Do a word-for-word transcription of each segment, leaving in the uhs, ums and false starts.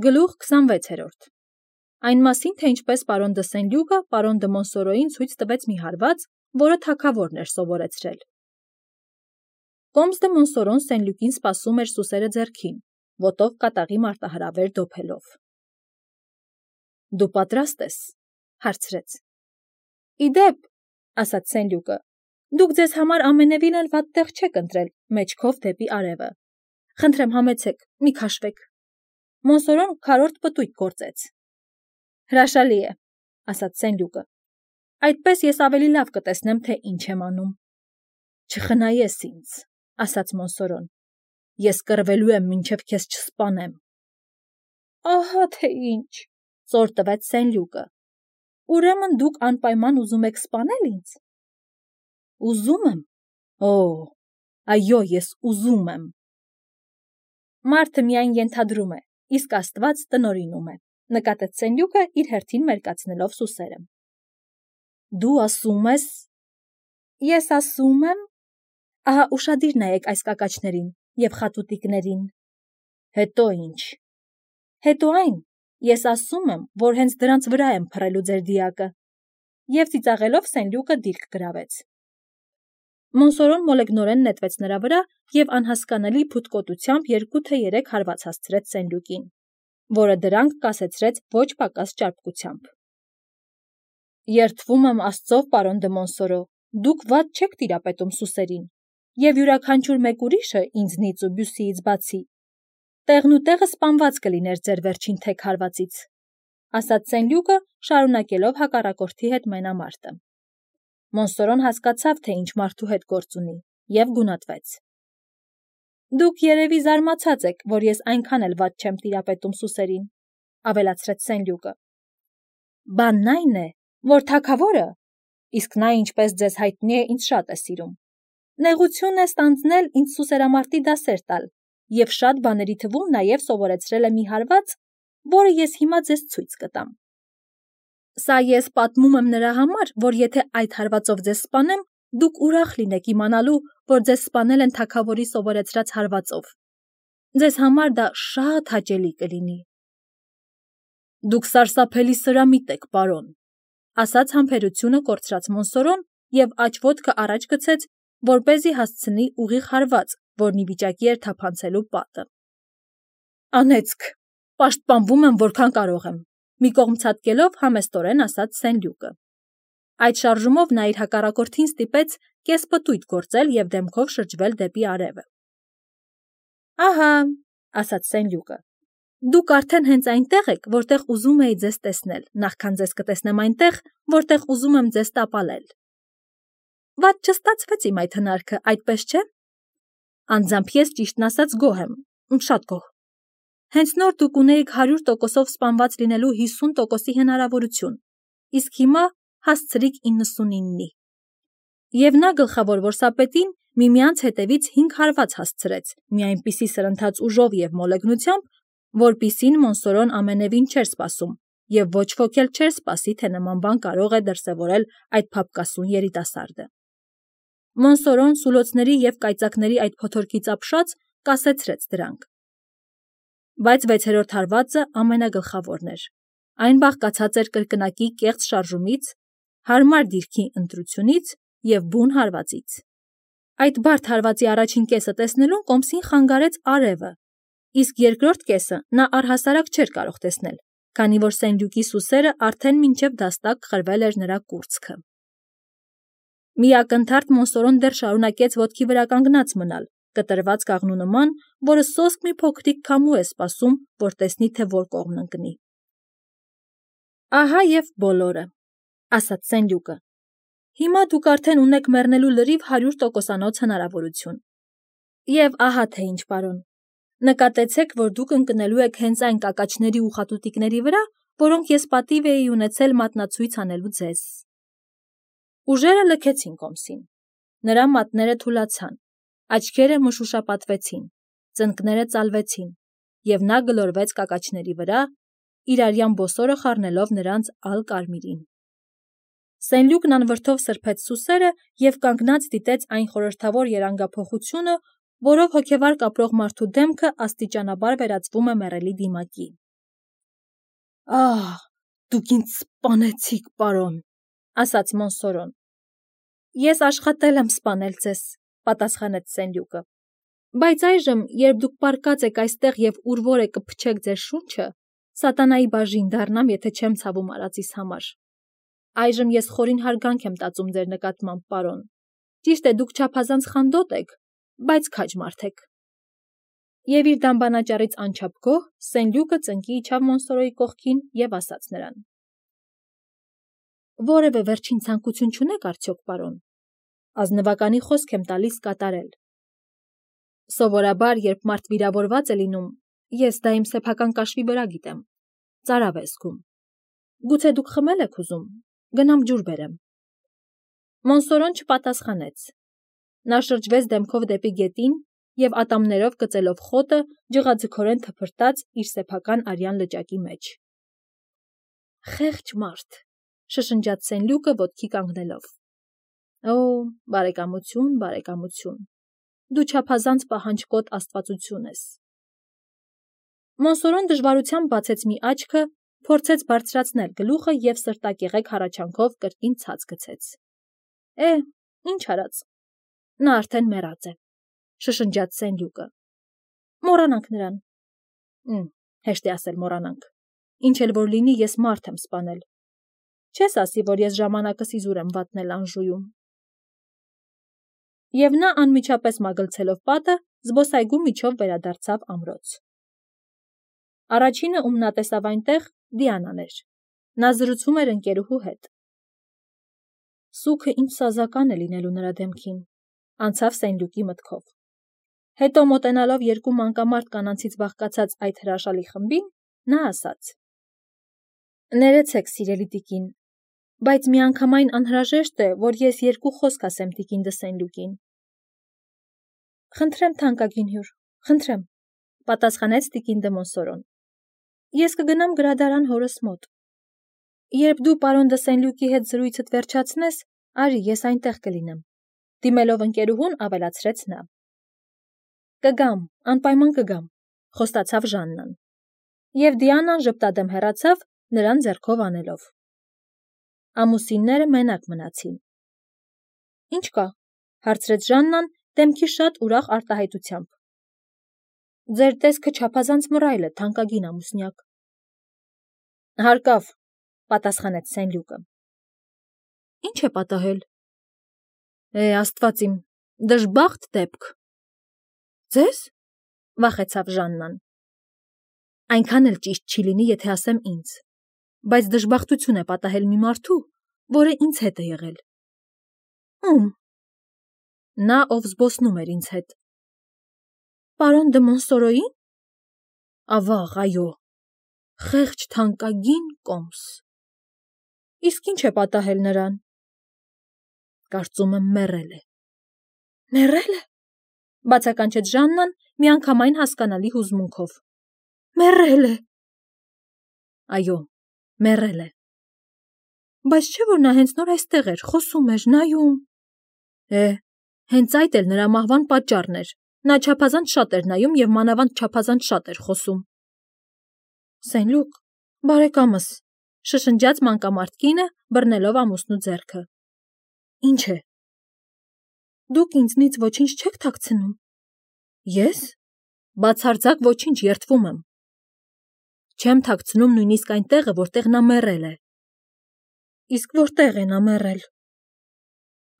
Գլուխ քսանվեցերորդ Այն մասին, թե ինչպես պարոն դը Սենլյուկը պարոն դը Մոնսորոյին ցույց տվեց մի հարված, որը թագավորն էր սովորեցրել։ Կոմս դը Մոնսորոն Սենլյուկին սպասում էր սուսերը ձեռքին, ոտով կատաղի մարտահրավեր դոփելով։ Դու պատրաստ ես, հարցրեց։ Իդեպ, ասաց Սենլյուկը, դուք ձեզ համար ամենևին էլ վատ տեղ չեք ընտրել, մեջքով դեպի արևը։ Խնդրեմ համեցեք, մի քաշվեք։ Մոնսորոն քառորդ պտույտ գործեց։ Հրաշալի է, ասաց Սենլյուկը։ Այդպես ես ավելի լավ կտեսնեմ, թե ինչ եմ անում։ Չխնայես ինձ, ասաց Մոնսորոն։ Ես կռվելու եմ, մինչև քեզ չսպանեմ։ Ահա թե ինչ, ծոր տվեց Սենլյուկը։ Ուրեմն դուք անպայման ուզում եք սպանել ինձ։ Ուզում եմ։ Օ, այո, ես ուզում եմ։ Մարդը միայն ենթադրում է, իսկ Աստված տնօրինում է, նկատեց Սենլյուկը իր հերթին մերկացնելով սուսերը։ Դու ասում ես։ Ես ասում եմ։ Ահա ուշադիր նայեք այս կակաչներին և խատուտիկներին։ Հետո ինչ։ Հետո այն, ես ասում եմ, որ հենց դրանց վրա եմ փռելու ձեր դիակը։ Եվ ծիծաղելով Սենլյուկը դիրք գրավեց։ Մոնսորոն մոլեգնորեն նետվեց նրա վրա և անհասկանալի փութկոտությամբ երկու թե երեք հարված հասցրեց Սենլյուկին, որը դրանք կասեցրեց ոչ պակաս ճարպկությամբ։ Երդվում եմ Աստծով, պարոն դը Մոնսորո, դուք վատ չեք տիրապետում սուսերին, և յուրաքանչյուր մեկ ուրիշը ինձնից ու Բյուսիից բացի, տեղն ու տեղը սպանված կլիներ ձեր վերջին թեք հարվածից, ասաց Սենլյուկը, շարունակելով հակառակորդի հետ մենամարտը։ Մոնսորոն հասկացավ, թե ինչ մարդու հետ գործ ունի, և գունատվեց։ Դուք երևի զարմացած եք, որ ես այնքան էլ վատ չեմ տիրապետում սուսերին, ավելացրեց Սենլյուկը։ Բանն այն է, որ թագավորը, իսկ նա ինչպես ձեզ հայտնի է, ինձ շատ է սիրում, նեղություն է ստանձնել ինձ սուսերամարտի դասեր տալ և շատ բաների թվում նաև սովորեցրել է մի հարված, որը ես հիմա ձեզ ցույց կտամ։ Սա ես պատմում եմ նրա համար, որ եթե այդ հարվածով ձեզ սպանեմ, դուք ուրախ լինեք իմանալու, որ ձեզ սպանել են թագավորի սովորեցրած հարվածով։ Ձեզ համար դա շատ հաճելի կլինի։ Դուք սարսափելի սրամիտ եք, պարոն, ասաց համբերությունը կորցրած Մոնսորոն և աջ ոտքը առաջ գցեց, որպեսզի հասցնի ուղիղ հարված, որն ի վիճակի էր թափանցելու պատը։ Անեծք, պաշտպանվում եմ, որքան կարող եմ, մի կողմ ցատկելով համեստորեն ասաց Սենլյուկը։ Այդ շարժումով նա իր հակառակորդին ստիպեց կեսպտույտ գործել և դեմքով շրջվել դեպի արևը։ Ահա, ասաց Սենլյուկը, դուք արդեն հենց այնտեղ եք, որտեղ ուզում էի ձեզ տեսնել, նախքան ձեզ կտեսնեմ այնտեղ, որտեղ ուզում եմ ձեզ տապալել։ Վատ չստացվեց իմ այդ հնարքը, այդպես չէ։ Անձամբ ես ճիշտն ասած գոհ եմ, շատ գոհ։ Հենց նոր դուք ունեիք հարյուր տոկոսով սպանված լինելու հիսուն տոկոսի հնարավորություն, իսկ հիմա հասցրիք իննսունինի։ Եվ նա գլխավոր որսապետին միմյանց հետևից հինգ հարված հասցրեց, մի այնպիսի սրընթաց ուժով և մոլեգնությամբ, որպիսին Մոնսորոն ամենևին չէր սպասում, և ոչ ոք էլ չէր սպասի, թե նման բան կարող է դրսևորել այդ փափկասուն երիտասարդը։ Մոնսորոն սուլոցների և կայծակների այդ փոթորկից ապշած կասեցրեց դրանք։ Բայց վեցերորդ հարվածը ամենագլխավորն էր։ Այն բաղկացած էր կրկնակի կեղծ շարժումից, հարմար դիրքի ընտրությունից և բուն հարվածից։ Այդ բարդ հարվածի առաջին կեսը տեսնելուն Կոմսին խանգարեց արևը, իսկ երկրորդ կեսը նա առհասարակ չէր կարող տեսնել, քանի որ Սենլյուկի սուսերը արդեն մինչև դաստակ խրվել էր նրա կուրծքը։ Մի ակնթարթ Մոնսորոն դեռ շարունակեց ոտքի վրա կանգնած մնալ, կտրված կաղնու նման, որը սոսկ մի փոքրիկ քամու է սպասում, որ տեսնի, թե որ կողմն ընկնի։ Ահա և բոլորը, ասաց Սենլյուկը։ Հիմա դուք արդեն ունեք մեռնելու լրիվ հարյուր տոկոսանոց հնարավորություն։ Եվ ահա թե ինչ, պարոն, նկատեցեք, որ դուք ընկնելու եք հենց այն կակաչների ու խատուտիկների վրա, որոնք ես պատիվ էի ունեցել մատնացույց անելու ձեզ։ Ուժերը լքեցին Կոմսին։ Նրա մատները թուլացան, աչքերը մշուշապատվեցին, ծնկները ծալվեցին, և նա գլորվեց կակաչների վրա, իր արյան բոսորը խառնելով նրանց ալ կարմիրին։ Սենլյուկն անվրդով սրբեց սուսերը և կանգնած դիտեց այն խորհրդավոր երանգափոխությունը, որով հոգևար կապրող մարդու դեմքը աստիճանաբար վերածվում է մեռելի դիմակի։ Ահ, դուք ինձ սպանեցիք, պարոն, ասաց Մոնսորոն։ Ես աշխատել եմ սպանել ձեզ, պատասխանեց Սենլյուկը։ Բայց այժմ, երբ դուք պառկած եք այստեղ եւ ուր որ է կփչեք ձեր շունչը, սատանայի բաժին դառնամ, եթե չեմ ցավում արածիս համար։ Այժմ ես խորին հարգանք եմ տածում ձեր նկատմամբ, պարոն։ Ճիշտ է, դուք չափազանց խանդոտ եք, բայց քաջ մարդ եք։ Եվ իր դամբանաճառից անչափ գոհ, Սենլյուկը ծնկի իջավ Մոնսորոյի կողքին եւ ասաց նրան. Որևէ վերջին ցանկություն չունեք արդյոք, պարոն։ Ազնվականի խոսք եմ տալիս կատարել։ Սովորաբար, երբ մարդ վիրավորված է լինում, ես դա իմ սեփական կաշվի վրա գիտեմ, ծարավ է զգում։ Գուցե դուք խմել եք ուզում, գնամ ջուր բերեմ։ Մոնսորոն չպատասխանեց։ Նա շրջվեց դեմքով դեպի գետին եւ ատամներով կծելով խոտը ջղաձգորեն թփրտաց իր սեփական արյան լճակի մեջ։ Խեղճ մարդ, շշնջաց Սենլյուկը ոտքի կանգնելով։ Օ, բարեկամություն, բարեկամություն։ Դու չափազանց պահանջկոտ աստվածություն ես։ Մոնսորոն դժվարությամբ բացեց մի աչքը, փորձեց բարձրացնել գլուխը եւ սրտակեղեկ հառաչանքով կրկին ցած գցեց։ Է, ինչ արած։ Նա արդեն մեռած է, շշնջաց Սենլյուկը։ Մոռանանք նրան։ Մ, հեշտ է ասել մոռանանք։ Ինչ էլ որ լինի, ես մարդ եմ սպանել։ Չես ասի, որ ես ժամանակս իզուր եմ վատնել Անժուում։ Եվ նա անմիջապես մագլցելով պատը, զբոսայգու միջով վերադարձավ ամրոց։ Առաջինը, ում նա տեսավ այնտեղ, Դիանան էր։ Նա զրուցում էր ընկերուհու հետ։ Սուքը ինչ սազական է լինելու նրա դեմքին, անցավ Սենլյուկի մտքով։ Հետո մոտենալով երկու մանկամարդ կանանցից բաղկացած այդ հրաշալի խմբին, նա ասաց. Ներեցեք, սիրելի տիկին, բայց միանգամայն անհրաժեշտ է, որ ես երկու խոսք ասեմ տիկին դը Սենլյուկին։ Խնդրեմ, թանկագին հյուր, խնդրեմ, պատասխանեց տիկին դը Մոնսորոն։ Ես կգնամ գրադարան հորս մոտ։ Երբ դու պարոն դը Սենլյուկի հետ զրույցդ վերջացնես, արի, ես այնտեղ կլինեմ։ Դիմելով ընկերուհուն ավելացրեց նա։ Կգամ, անպայման կգամ, խոստացավ Ժաննան։ Եվ Դիանան ժպտադեմ հեռացավ, նրան ձեռքով անելով։ Ամուսինները մենակ մնացին։ Ինչ կա, հարցրեց Ժաննան, դեմքի շատ ուրախ արտահայտությամբ։ Ձեր տեսքը չափազանց մռայլ է, թանկագին ամուսնյակ։ Հարկավ, պատասխանեց Սենլյուկը։ Ինչ է պատահել։ Է, Աստված իմ, դժբախտ դեպք։ Ձեզ, վախեցավ Ժաննան։ Այնքան էլ ճիշտ չի լինի, եթե ասեմ ինձ, բայց դժբախտություն է պատահել մի մարդու, որը ինձ հետ է եղել։ Ում։ Նա, ով զբոսնում էր ինձ հետ։ Պարոն դը Մոնսորոյին։ Ավաղ, այո, խեղճ թանկագին կոմս։ Իսկ ինչ է պատահել նրան։ Կարծում եմ մեռել է։ Մեռել է, բացականչեց Ժաննան միանգամայն հասկանալի հուզմունքով։ Մեռել է։ Այո, մեռել է։ Բայց չէ՞ որ նա հենց նոր այստեղ էր, խոսում էր, նայում։ Է, հենց այդ էլ նրա մահվան պատճառն էր։ Նա չափազանց շատ էր նայում եւ մանավանդ չափազանց շատ էր խոսում։ Սենլյուկ, բարեկամս, շշնջաց մանկամարդ կինը, բռնելով ամուսնու ձեռքը։ Ինչ է։ Դուք ինձնից ոչինչ չեք թաքցնում։ Ես։ Բացարձակ ոչինչ, երդվում եմ։ Չեմ թաքցնում նույնիսկ այն տեղը, որտեղ նա մեռել է։ Իսկ որտեղ է նա մեռել։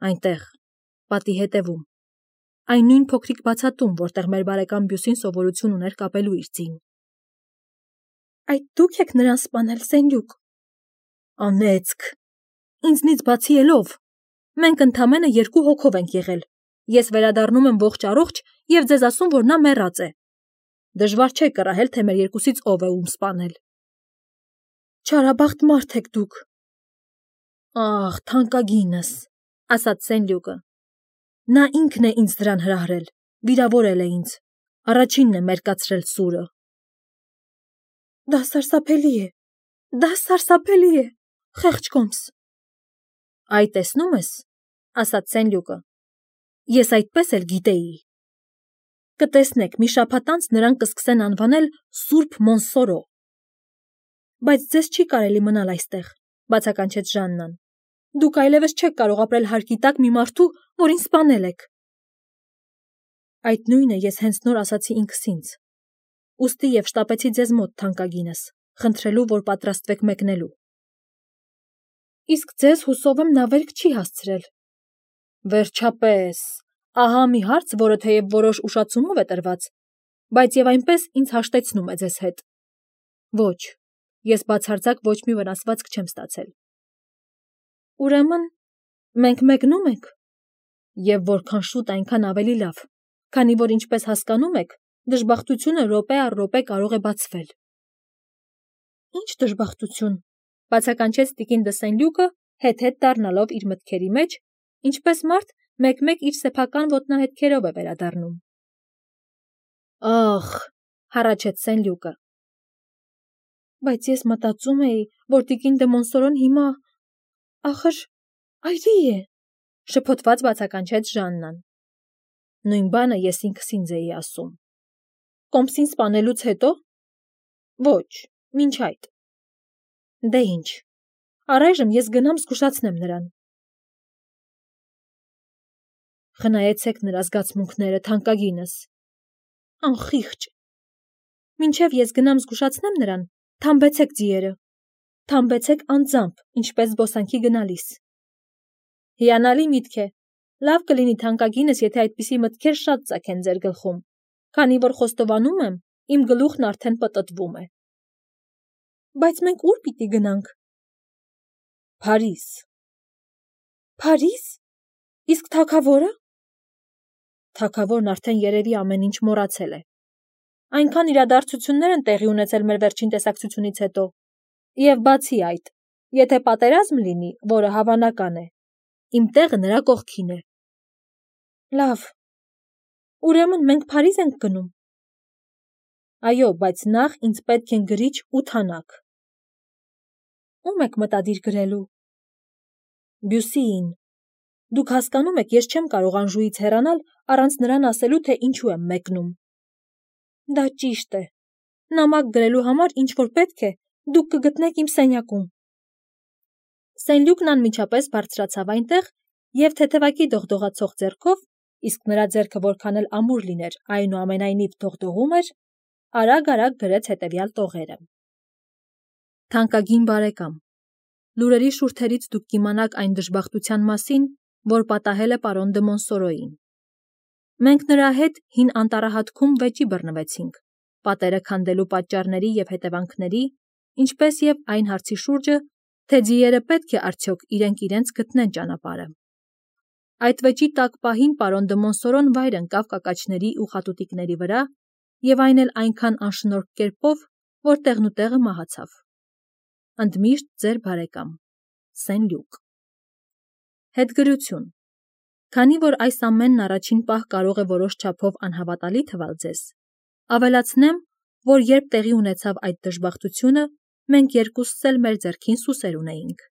Այնտեղ, պատի հետևում։ Այն նույն փոքրիկ բացատում, որտեղ մեր բարեկամ Բյուսին սովորություն ուներ կապելու իր ձին։ Այդ դուք եք նրան սպանել, Սենլյուկ։ Անեծք։ Ինձնից բացի ելով։ Մենք ընդամենը երկու հոգով ենք եղել։ Ես վերադառնում եմ ողջ առողջ եւ ձեզ ասում, որ նա մեռած է։ Դժվար չէ կռահել, թե մեր երկուսից ով է ում սպանել։ Չարաբախտ մարդ եք դուք։ Ահ, թանկագինս, ասաց Սենլյուկը։ Նա ինքն է ինձ դրան հրահրել, վիրավորել է ինձ, առաջինն է մերկացրել սուրը։ Դա սարսափելի է, դա սարսափելի է, խեղճ կոմս։ Այ տեսնում ես, ասաց Սենլյուկը, ես այդպես էլ գիտեի։ Կտեսնեք, մի շաբաթ անց նրան կսկսեն անվանել Սուրբ Մոնսորո։ Բայց ձեզ չի կարելի մնալ այստեղ, բացականչեց Ժաննան։ Դուք այլևս չեք կարող ապրել հարկի տակ մի մարդու, որին սպանել եք։ Այդ նույնը ես հենց նոր ասացի ինքս ինձ։ Ուստի եւ շտապեցի ձեզ մոտ, թանկագինս, խնդրելու, որ պատրաստվեք մեկնելու։ Իսկ ձեզ հուսով եմ նա վերք չի հասցրել։ Վերջապես, ահա մի հարց, որը թեև որոշ ուշացումով է տրված, բայց եւ այնպես ինձ հաշտեցնում է ձեզ հետ։ Ոչ, ես բացարձակ ոչ մի վնասվածք չեմ ստացել։ Ուրեմն, մենք մեկնում ենք։ Եվ որքան շուտ, այնքան ավելի լավ, քանի որ ինչպես հասկանում եք, դժբախտությունը րոպե առ րոպե կարող է բացվել։ Ինչ դժբախտություն, բացականչեց տիկին դը Սեն-Լյուկը, հետ-հետ դառնալով իր մտքերի մեջ, ինչպես մարդ մեկ-մեկ իր սեփական ոտնահետքերով է վերադառնում։ Ախ, հառաչեց Սեն-Լյուկը։ Բայց ես մտածում էի, որ տիկին դե Մոնսորոն հիմա ախր այրի է, շփոթված բացականչեց Ժաննան։ Նույն բանը ես ինքս ինձ էի ասում։ Կոմսին սպանելուց հետո։ Ոչ, մինչ այդ։ Դե ինչ, առայժմ ես գնամ զգուշացնեմ նրան։ Խնայեցեք նրա զգացմունքները, թանկագինս։ Անխիղճ։ Մինչև ես գնամ զգուշացնեմ նրան, թամբեցեք ձիերը։ Թամբեցեք անձամբ, ինչպես զբոսանքի գնալիս։ Հիանալի միտք է։ Լավ կլինի թանկագինս, եթե այդպիսի մտքեր շատ ծագեն ձեր գլխում, քանի որ խոստովանում եմ, իմ գլուխն արդեն պտտվում է։ Բայց մենք ուր պիտի գնանք։ Փարիզ։ Փարիզ։ Իսկ թագավորը։ Թագավորն արդեն երևի ամեն ինչ մոռացել է։ Այնքան իրադարձություններ են տեղի ունեցել մեր վերջին տեսակցությունից հետո։ Եվ բացի այդ, եթե պատերազմ լինի, որը հավանական է, իմ տեղը նրա կողքին է։ Լավ։ Ուրեմն մենք Փարիզ ենք գնում։ Այո, բայց նախ ինձ պետք են գրիչ ու թանակ։ Ո՞ւմ եք մտադիր գրելու։ Բյուսիին։ Դուք հասկանում եք, ես չեմ կարող Անժուից հեռանալ առանց նրան ասելու, թե ինչու եմ մեկնում։ Դա ճիշտ է։ Նամակ գրելու համար ինչ որ պետք է, դուք կգտնեք իմ սենյակում։ Սեն-Լյուկն անմիջապես բարձրացավ այնտեղ եւ թեթևակի դողդողացող ձեռքով, իսկ նրա ձեռքը որքան էլ ամուր լիներ, այնուամենայնիվ դողդողում էր, արագ-արագ գրեց հետևյալ տողերը. Թանկագին բարեկամ, լուրերի շուրթերից դուք կիմանաք այն դժբախտության մասին, որ պատահել է պարոն դը Մոնսորոյին։ Մենք նրա հետ հին անտառահատքում վեճի բռնվեցինք, պատերը քանդելու պատճառների եւ հետևանքների, ինչպես եւ այն հարցի շուրջը, թե ձիերը պետք է արդյոք իրենք իրենց գտնեն ճանապարհը։ Այդ վեճի տակ պահին պարոն դը Մոնսորոն վայր ընկավ կակաչների ու խատուտիկների վրա եւ այն էլ այնքան անշնորհք կերպով, որ տեղնուտեղը մահացավ։ Ընդմիշտ ձեր բարեկամ Սեն-Լյուկ։ Հետգրություն։ Քանի որ այս ամենն առաջին պահ կարող է որոշ չափով անհավատալի թվալ ձեզ, ավելացնեմ, որ երբ տեղի ունեցավ այդ դժբախտությունը, մենք երկուսս էլ մեր ձեռքին սուսեր ունեինք։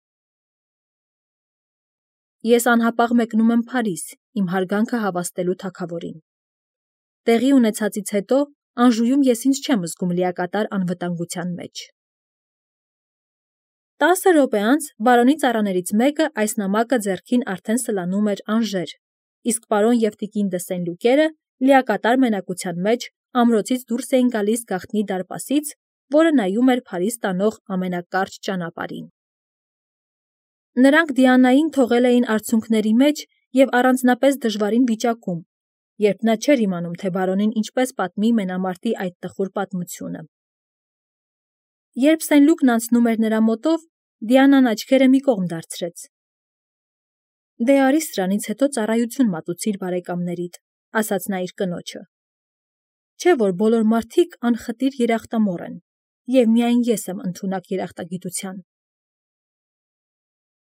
Ես անհապաղ մեկնում եմ Փարիզ, իմ հարգանքը հավաստելու թագավորին։ Տեղի ունեցածից հետո Անժուում ես ինձ չեմ զգում լիակատար անվտանգության մեջ։ Տասը րոպե անց բարոնի ծառաներից մեկը այս նամակը ձեռքին արդեն սլանում էր Անժեր, իսկ պարոն եւ տիկին դը Սեն-Լյուկերը լիակատար մենակության մեջ ամրոցից դուրս էին գալիս գաղտնի դարպասից, որը նայում էր Փարիզ տանող ամենակարճ ճանապարհին։ Նրանք Դիանային թողել էին արցունքների մեջ եւ առանձնապես դժվարին վիճակում, երբ նա չէր իմանում, թե բարոնին ինչպես պատմի մենամարտի այդ տխուր պատմությունը։ Երբ Սեն-Լյուկն անցնում էր նրա մոտով, Դիանան աչքերը մի կողմ դարձրեց։ Դե արի սրանից հետո ծառայություն մատուցիր բարեկամներիդ, ասաց նա իր կնոջը։ Չէ՞ որ բոլոր մարդիկ անխտիր երախտամոռ են, եւ միայն ես եմ ընդունակ երախտագիտության։